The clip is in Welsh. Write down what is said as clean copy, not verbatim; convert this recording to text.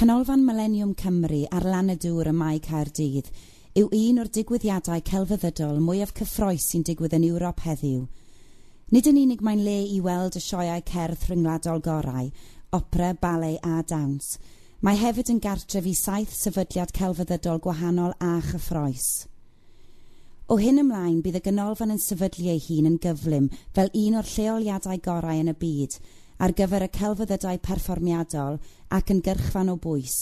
Canolfan Mileniwm Cymru ar lan y dŵr ym Mae Caerdydd yw un o'r digwyddiadau celfyddydol mwyaf cyffrous sy'n digwydd yn Ewrop heddiw. Nid yn unig mae'n le i weld y sioeau cerdd rhyngwladol gorau, opera, ballet a dawns, mae hefyd yn gartref i saith sefydliad celfyddydol gwahanol a chyffrous. O hyn ymlaen, bydd y ganolfan yn sefydlu ei hun yn gyflym fel un o'r lleoliadau gorau yn y byd ar gyfer y celfyddydau perfformiadol ac yn gyrchfan o bwys.